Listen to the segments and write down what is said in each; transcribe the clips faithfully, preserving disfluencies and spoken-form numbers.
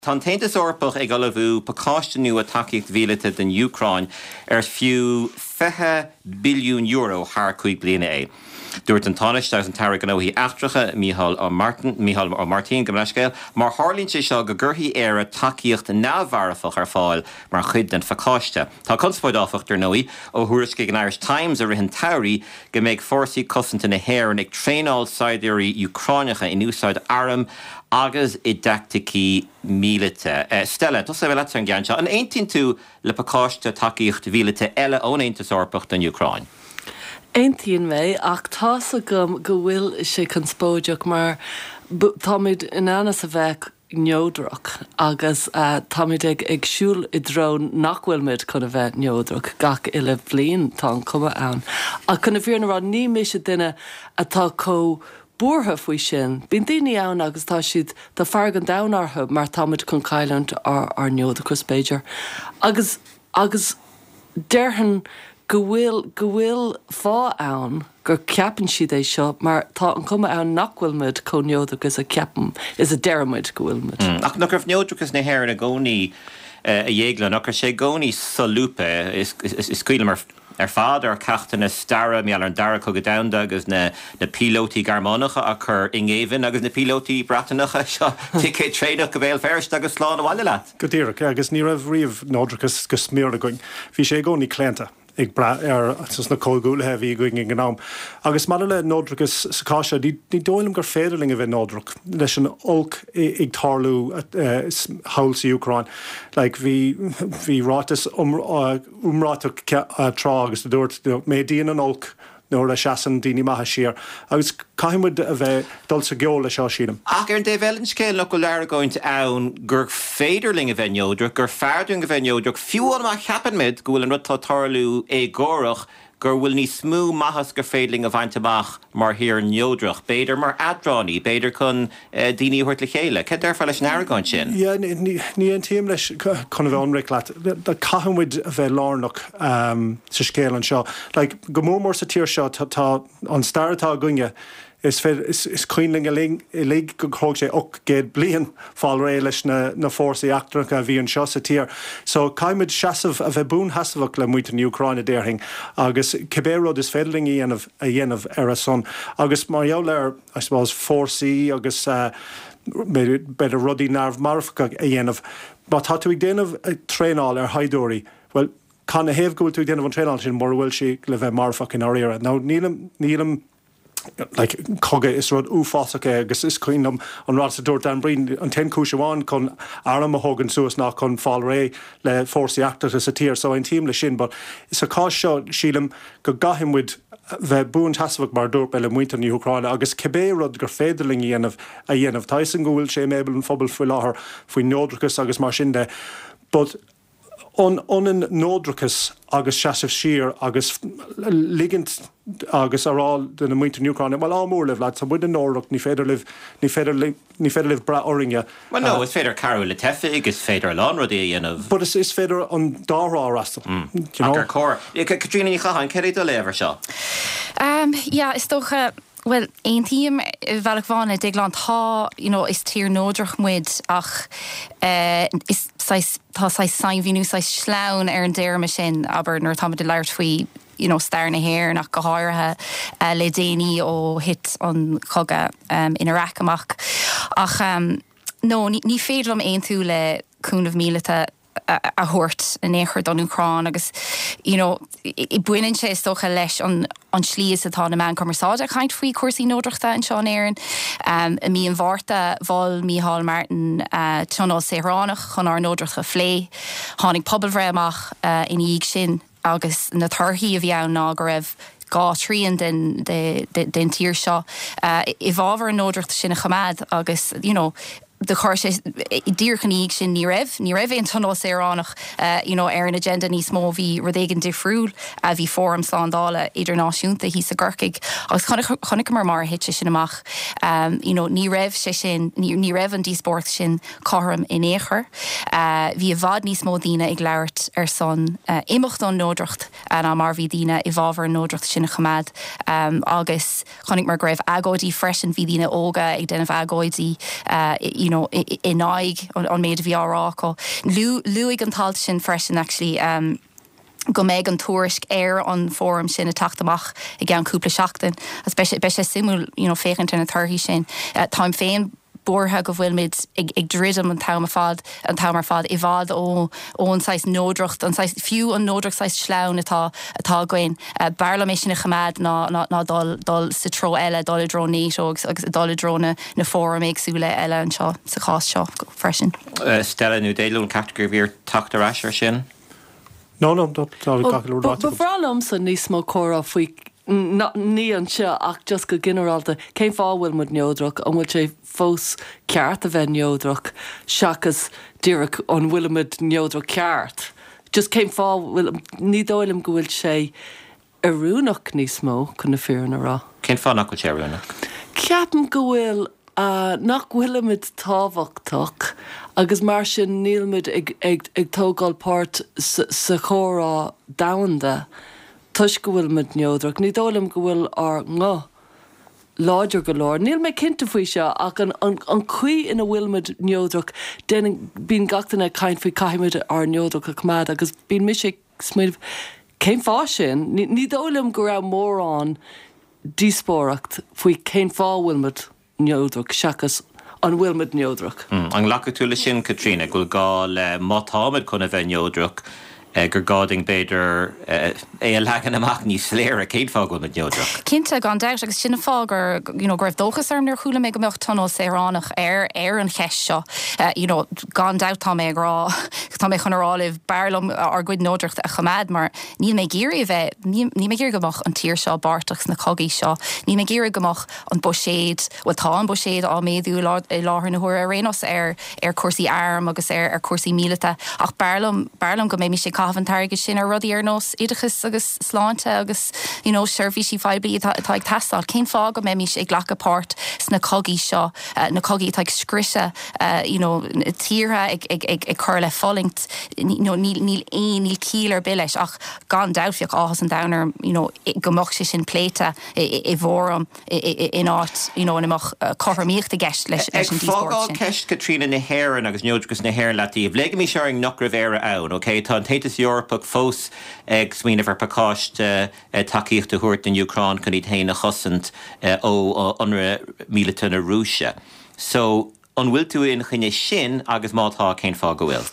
Tá an tAontas Eorpach ag ullmhú pacáiste nua tacaíocht mhíleata don Úcráin ar fiú fiche billiún euro thar cúig bliana é. Dúirt an Tánaiste agus an tAire Gnóthaí Eachtracha Mícheál Ó Martin Mícheál Ó Martin go leiscéal, mar tharlaíonn sé seo go gcuirfidh Éire tacaíocht neamh-mharfach ar fáil mar chuid den phacáiste. Tá conspóid áfach ar ndóigh ó thuairiscigh an Irish Times i rith an tsamhraidh go mbeidh fórsaí cosanta na hÉireann ag traenáil saighdiúirí Úcránacha in úsáid arm agus i dteaicticí míleata. Uh, Stella, tosóidh mé leat an ceann seo. An aontaíonn tú le pacáiste tacaíocht mhíleata eile ón Aontas Eorpach don Úcráin? Aontaíonn mé ach tá's agam go bhfuil sé conspóideach mar táimid in ainm is a bheith neodrach agus uh, táimid ag ag siúl i dtreo nach bhfuilmid chun a bheith neodrach gach uile bhliain tá an cuma ann. Ach chun na fírinne a rá ní mise duine atá chomh buartha faoi sin. Bíonn daoine ann agus tá siad tá fearg an domhain orthu mar táimid chun cailliúint ár ár neodrachas b'fhéidir. Agus agus déarfainn go bhfuil go bhfuil fáth ann gur ceapann siad é seo mar tá an cuma ann nach bhfuilmid chomh neodrach is a ceapann is a deirimid go bhfuilmid. Mm. Ach nach raibh neodrachas na hÉireann i gcónaí a dhéagla nach raibh sé i gcónaí solúbtha is, is, is cuimhin ar ar fad ar ceachtanna staire mar an dara cogadh domhanda agus na na píolótaí Gearmánacha a chur i ngéibheann agus na píolótaí Breatanacha seo ticéad traenach go Béal Feirste agus slán abhaile leat. Go díreach agus ní raibh riamh neodrachas go smior againn. Bhí sé i gcónaí claonta. ag brath ar na comhghuaillithe a bhí againn ag an am. Agus maidir le neodrachas sa chás seo, ní dóigh liom gur féidir linn a bheith neodrach leis an olc ag tarlú thall sa Úcráin. Like, bhí bhí ráiteas iomráiteach tráth agus a dúirt méadaíonn an olc nuair a seasann daoine maithe siar. Agus caithfimid a bheith dul sa gceol le seo sílim. Ach ar an dtaobh eile den scéal nach bhfuil argóint ann gur féidir linn a bheith neodrach, gur fearr dúinn a bheith neodrach, fiú má cheapaimid go bhfuil an rud atá ag tarlú éagórach gur bhfuil níos mó maitheas gur féidir linn a bhaint amach mar thír neodrach, b'fhéidir mar eadránaí, b'fhéidir chun uh, daoine a thabhairt le chéile. Cad déarfá leis an argóint sin? Yeah, ní aontaím leis chun a bheith ionraic leat. Caithfimid a bheith lárnach um, sa scéal anseo. Like, go mór mór sa tír seo tá an stair atá againne is, is, is cuimhin linn uilig go thóg sé ocht gcéad bliain fáil réidh leis na, na fórsaí eachtracha a bhí anseo sa tír. So caithfimid seasamh a bheith buansheasmhach le muintir na hÚcráine déarfainn agus cibé rud is féidir linn a dhéanamh a dhéanamh ar a son. Agus mar gheall ar I suppose fórsaí agus uh, b'fhéidir rudaí neamh-mharfacha a dhéanamh. Má tá tú ag déanamh traenáil ar shaighdiúirí, well, cad ina thaobh go bhfuil tú ag déanamh an traenáil sin mura bhfuil sí le bheith marfach in áirithe. Now nílim nílim like, cogadh is rud uafásach é agus is cuimhin liom an rud a dúirt Dan Breen an t-aon chúis amháin chun arm a thógáil suas ná chun fáil réidh le fórsaí eachtracha sa tír, so aontaím le sin, but sa chás seo sílim go gcaithfimid bheith buansheasmhach mar dúirt le muintir na hÚcráine agus cibé rud gur féidir linn a dhéanamh a dhéanamh. Tá sin go bhfuil sé mébal an phobal faoi láthair faoi neodrachas agus mar sin de. But an ionann neodrachas agus seasamh siar agus ligint agus a rá do na muintir na hÚcráine, Well á mór libh lad, tá muid neodrach ní féidir libh ní féidir ní féidir libh brath orainne. Well no, is féidir cabhrú le teifigh, is féidir a lán rudaí a dhéanamh. But is, is féidir an dá thrá fhreastal. Mm. Ar cóir. Caitríona Ní Chatháin, cé do léamh air seo? Um, yeah, is dócha Well, aontaím bhealach amháin le Déaglán tá you know, is tír neodrach muid ach uh, is tá sainmhíniú sleamhain ar an dtéarma sin aber nuair táimid ag labhairt faoi you know, stair na hÉireann ach go háirithe uh, le déanaí ó thit an cogadh um, in Iraq amach. Ach um, no, ní, ní féidir liom aontú le cúnamh míleata a thabhairt in aon chor don Úcráin agus you know, baineann sé is dócha leis an an slí is atá na meáin chumarsáide ag caint faoi cúrsaí neodrachta anseo in Éirinn. Um, i mí an Mhárta mhol Micheál Martin uh, tionól saoránach chun ár neodracht a phlé, tháinig pobalbhreith amach uh, ina dhiaidh sin agus na torthaí a bhí ann ná go raibh dhá thrian den, de, de, den tír seo uh, i bhfabhar an neodracht sin a choimeád agus you know, de chuir sé díreach ina dhiaidh sin ní raibh, ní raibh aon tionól saoránach uh, you know, ar an agenda níos mó bhí rud éigin difriúil a bhí fóram slándála idirnáisiúnta thíos i gCorcaigh agus chonaiceamar mar thit sé sin amach um, you know, ní raibh sé sin ní, ní raibh an díospóireacht sin cothrom in aon chor. Uh, bhí i bhfad níos mó daoine ag labhairt ar son uh, imeacht ón neodracht ná mar bhí daoine i bhfabhar an neodracht sin a choimeád um, agus chonaic mar go raibh agóidí freisin bhí daoine óga ag déanamh agóidí uh, you know, in aghaidh an, an méid a bhí á rá acu. Luaigh an t-alt sin freisin actually um, go mbeidh an tuairisc ar an fóram sin ag teacht amach i gceann cúpla seachtain. Agus beidh sé beidh sé suimiúil you know, féachaint ar na torthaí sin. Uh, Táim féin buartha go bhfuilmid ag, ag druidim an t-am ar fad an t-am ar fad i bhfad ó ón saghas neodracht an saghas, fiú an neodracht saghas sleamhain atá atá againn. Uh, B'fhearr liom é sin a choimeád ná, ná, ná dul, dul sa treo eile dul i dtreo NATO agus, agus dul i dtreo na, na fóram éagsúla eile anseo sa chás seo freisin. Uh, Stella nó Déalún ceacht gur bhír teacht ar ais ar sin? No, no, tá gach rud Ba bhreá liomsa níos mó comhrá faoi ní anseo ach just go ginearálta cén fáth bhfuil muid neodrach an bhfuil sé fós ceart a bheith neodrach seachas díreach an bhfuilimid neodrach ceart. Just cén fáth bhfuil ní dóigh liom go bhfuil sé oiriúnach níos mó chun na fírinne a rá. Cén fáth nach bhfuil sé oiriúnach? Ceapaim go bhfuil uh, nach bhfuilimid tábhachtach agus mar sin nílmuid ag, ag, ag tógáil páirt sa, sa chomhrá domhanda toisc go bhfuilimid neodrach. Ní dóigh liom go bhfuil ár nguth láidir go leor. Níl mé cinnte faoi seo ach an, an, an chaoi ina bhfuilimid neodrach bíonn gach duine ag caint faoi caithfimid ár neodracht a choimeád agus bíonn mise smaoineamh cén fáth sin, ní, ní dóigh liom go raibh mórán díospóireacht faoi cén fáth bhfuilimid neodrach seachas an bhfuilimid neodrach. Mm, an nglacfaidh tú leis sin Caitríona go bhfuil gá le má táimid chun a bheith neodrach eh, gur gá dúinn b'fhéidir eh, é a leagan amach níos soiléire cén fáth go bhfuilimid neodrach. Cinnte gan dabht agus sin an fáth gur you know, go raibh dóchas orm nuair a chuala mé go mbeadh tionól saoránach ar ar an cheist seo. Uh, you know, gan dabht tá mé ag rá tá mé chun a rá libh b'fhearr liom ár gcuid neodracht a choimeád mar níl mé ag iarraidh a bheith níl mé ag iarraidh go mbeadh an tír seo páirteach sna cogaí seo. Níl mé ag iarraidh go mbeadh an buiséad well tá an buiséad á méadú i láthair na huaire ar ar ar cúrsaí arm agus ar ar cúrsaí míleata ach b'fhearr liom b'fhearr liom go mbeidh sé caitheamh an t-airgead sin ar rudaí ar nós oideachas agus sláinte agus you know, seirbhísí poiblí atá atá ag teastáil. Cén fáth go mbeimid ag glacadh páirt sna cogaí seo uh, na cogaí atá ag scriosadh uh, you know, tíortha ag, ag, ag, ag cur le fulaingt you know, níl níl aon níl ciall ar bith leis ach gan dabht bheadh áthas an domhain orm you know, go mbeadh sé sin pléite i bhfóram in áit you know, ina mbeadh uh, cothromaíocht i gceist leis leis an Fágáil ceist Caitríona na hÉireann agus neodrachas na hÉireann leataobh. Ligimís orainn nach raibh Éire ann, ok Tá an tAontas Eorpach fós ag smaoineamh ar phacáiste tacaíocht a thabhairt don Úcráin chun iad féin a chosaint ó ionradh míleata na Rúise. So an bhfuil tú ina choinne sin agus má tá cén fáth go bhfuil.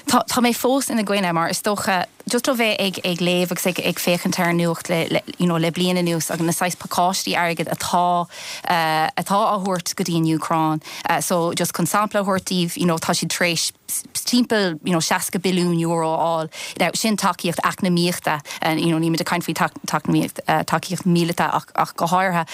Tá tá mé fós ina gcoinne mar is dócha just ó bheith ag ag léamh agus ag ag féachaint ar nuacht le, le, you know, le bliain anuas agus na saghas pacáistí airgid atá uh, atá á thabhairt go dtí an Úcráin. Uh, so just chun sampla a thabhairt daoibh, you know, tá siad tar éis timpeall you know, seasca billiún euro a fháil. Now, sin tacaíocht eacnamaíochta uh, you know, ní ag caint faoi tacaíocht uh, tacaíocht míleata ach, ach go háirithe.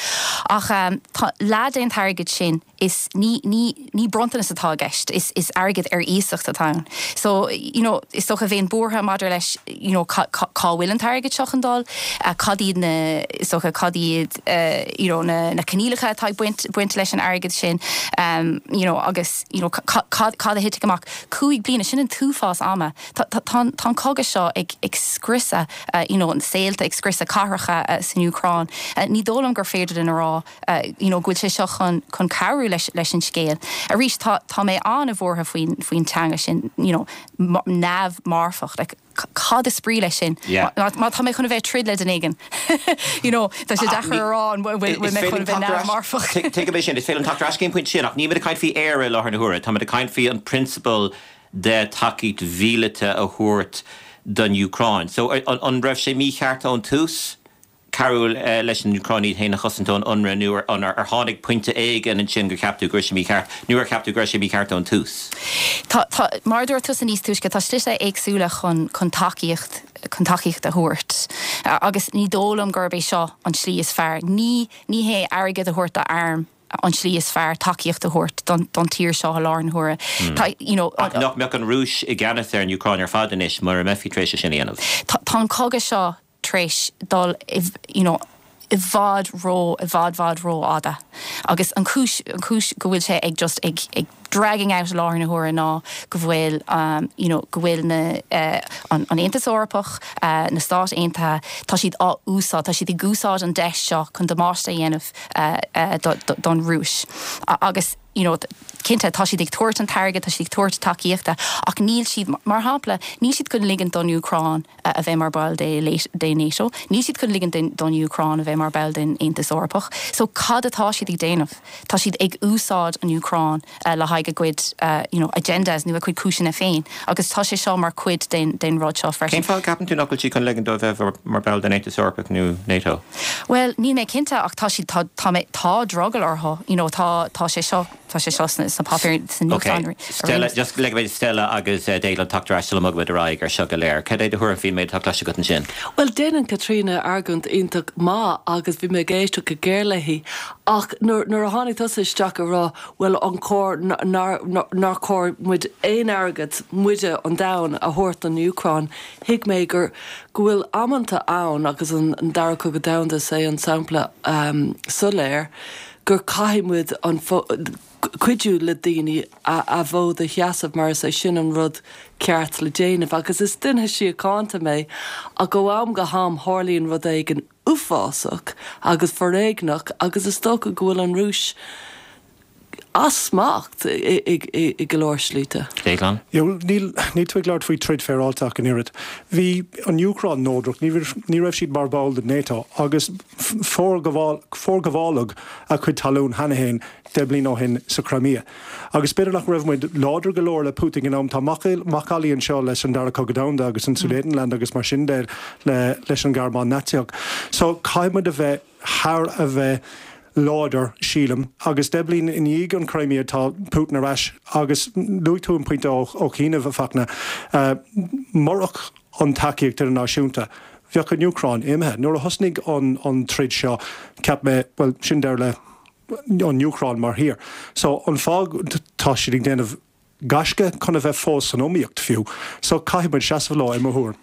Ach um, leath den airgead sin is ní, ní, ní bronntanas atá i gceist is, is airgead ar iasacht atá ann. So you know, is dócha bheinn buartha maidir leis you know, cá bhfuil an t-airgead seo chun dul, uh, cad iad na is dócha cad iad uh, you know, na, na coinníollacha atá baint, baint leis an airgead sin um, you know, agus you know, cad a thitfidh amach cúig bliana sin an t-uafás ama Tá an cogadh seo ag, ag scriosadh uh, you know, an saolta ag scriosadh cathracha uh, san Úcráin. Uh, ní dóigh liom gur féidir linn a rá uh, you know, go bhfuil sé seo chun chun cabhrú leis, leis an scéal. Arís tá, tá mé an-bhuartha faoin faoin teanga sin you know, neamh-mharfach like, cad is brí leis sin má tá mé chun bheith troid le duine éigin. You know, tá sé deacair a rá an bhfuil mé chun bheith neamh-mharfach. Tuigim sin is féidir teacht ar ais cén pointe sin ach nílimid ag caint faoi Éire i láthair na huaire, Tá ag caint faoi an prionsabal de tacaíocht mhíleata a thabhairt don Úcráin. So an, an raibh sé mícheart ón tús? Cabhrú uh, leis an Úcráin iad féin a chosaint ón ionradh nó an ar tháinig pointe éigin ansin gur cheap tú go raibh sé mícheart nó ar cheap tú go raibh sé mícheart ón tús. Tá, tá, mar dúirt tú níos túisce tá slite éagsúla chun chun tacaíocht chun tacaíocht a thabhairt. Uh, agus ní dóigh liom gurb é seo an slí is fearr. Ní ní hé airgead a thabhairt d'arm an slí is fearr tacaíocht a thabhairt don, don tír seo i láthair na huaire. Mm. You know, nach mbeadh an Rúis i gceannas ar an Úcráin ar fad anois mar a mbeifí tar éis sin a dhéanamh. Tá an cogadh seo tar éis dul you know, i bhfad ró i bhfad bhfad rófhada. Agus an chúis an chúis go bhfuil sé ag just ag ag dragging out i láthair na huaire ná go bhfuil um, you know, go bhfuil na uh, an, an Aontas Eorpach uh, na Stáit Aontaithe tá siad á úsáid tá siad ag úsáid an deis seo chun damáiste a dhéanamh uh, uh, do, do, don Rúis agus you know, cinnte tá siad ag tabhairt an t-airgead tá siad ag tabhairt tacaíochta ach níl siad mar shampla níl siad chun ligean don Úcráin uh, a bheith mar ball de de NATO níl siad chun ligean don Úcráin a bheith mar ball den Aontas Eorpach so cad atá siad ag déanamh Tá siad ag úsáid an Úcráin uh, le haghaidh a gcuid uh, you know, agendas nó a gcuid cúiseanna féin agus tá sé seo mar chuid den den rud seo freisin. Cén fáth ceapann tú nach bhfuil siad chun ligean dó bheith mar ball den Aontas Eorpach nó NATO? Well, níl mé cinnte ach tá siad tá tá, tá drogall orthu you know, tá tá sé seo tá sé seo sna páipéir san okay. Stella just le bheith Stella agus uh, Délan teacht le mugad aráig ar seo go léir. Cad é do thuairim faoin méid atá cloiste agat ansin? Well déanann Katrina argóint iontach maith agus bhí mé ag éisteacht go géar léi ach nuair a tháinig tusa isteach a rá well an cóir nár chóir muid aon airgead muide an domhan a thabhairt don Úcráin thuig mé gur go bhfuil amanta ann agus an, an dara cogadh domhanda sé an sampla um, soiléir gur caithfidh muid an cuidiú le daoine a, a bhfód a sheasamh mar is é sin an rud ceart le déanamh agus is duine síochánta mé a go am go ham tarlaíonn rud éigin uafásach agus foréigneach agus is dócha go bhfuil an Rúis as smacht i go leor slite. Déaglán? Níl níl tú ag labhairt faoi troid féaráilte ach an oiread. Bhí an Úcráin neodrach, ní raibh siad mar ball de NATO agus forghabháladh a cuid talún cheana féin deich mbliana ó shin sa Crimea. Agus b'fhéidir nach raibh muid láidir go leor le Putin in am tá macallaí anseo leis an dara cogadh domhanda agus an Sudetenland agus mar sin de le leis an Ghearmáin Naitsíoch. So caithfidh muid a bheith thar a bheith láidir sílim agus deich mbliana i ndiaidh an Crimea tá Putin ar ais agus luaigh tú an pointe ó ó chianaibh a Fachtna uh, murach an tacaíocht idirnáisiúnta. Bheadh an Úcráin imithe. Nuair a thosnaigh an an troid seo ceap mé well sin deireadh le an Úcráin mar thír. So an fáth tá siad ag déanamh gaisce chun a bheith fós san iomaíocht fiú, so caithfidh muid seasamh leo i mo thuairim.